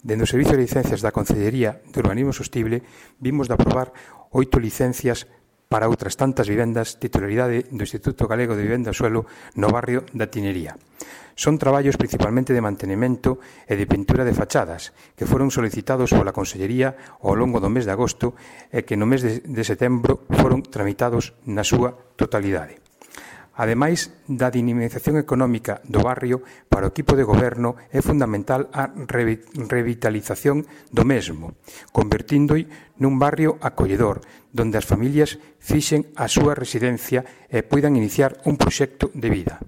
Dende o Servicio de Licencias da Concellería de Urbanismo Sostible vimos de aprobar 8 licencias para outras tantas vivendas titularidade do Instituto Galego de Vivenda e Suelo no barrio da Tinería. Son traballos principalmente de mantenimento e de pintura de fachadas que foron solicitados pola Consellería ao longo do mes de agosto e que no mes de setembro foron tramitados na súa totalidade. Ademais da dinamización económica do barrio, para o equipo de goberno é fundamental a revitalización do mesmo, convertíndoo nun barrio acolledor, donde as familias fixen a súa residencia e poidan iniciar un proxecto de vida.